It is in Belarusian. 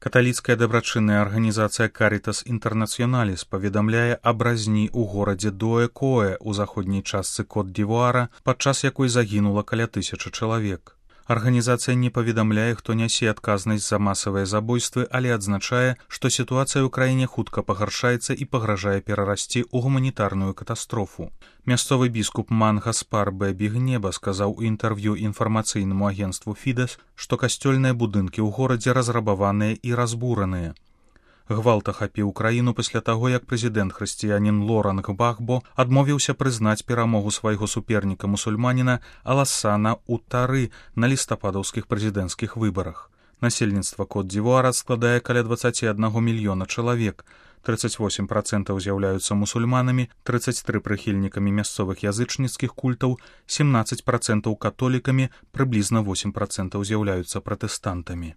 Каталіцкая дабрачынная арганізацыя «Карітас Інтэрнацыёналіс» паведамляе аб разні ў горадзе Дуэ-Коэ ў заходняй частцы Кот-д'Івуара, падчас якой загінула каля 1000 чалавек. Арганізацыя не паведамляе, хто нясе адказнасць за масавыя забойствы, але адзначае, што сітуацыя ў краіне хутка пагаршаецца і пагражае перарасці ў гуманітарную катастрофу. Мясцовы біскуп Мангаспар Бэбі-Гнеба сказаў у інтэрв'ю інфармацыйнаму агенцтву «Фідэс», што касцёльныя будынкі ў горадзе разрабаваныя і разбураныя. Гвалт ахапіў краіну пасля таго, як прэзідэнт-хрысціянін Лоранг Багбо адмовіўся прызнаць перамогу свайго суперніка-мусульманіна Алассана Утары на лістападаўскіх прэзідэнцкіх выбарах. Насельніцтва Кот-д'Івуара складае каля 21 мільёна чалавек. 38% з'яўляюцца мусульманамі, 33% прыхільнікамі мясцовых язычніцкіх культаў, 17% католікамі, прыблізна 8% з'яўляюцца пратэстантамі.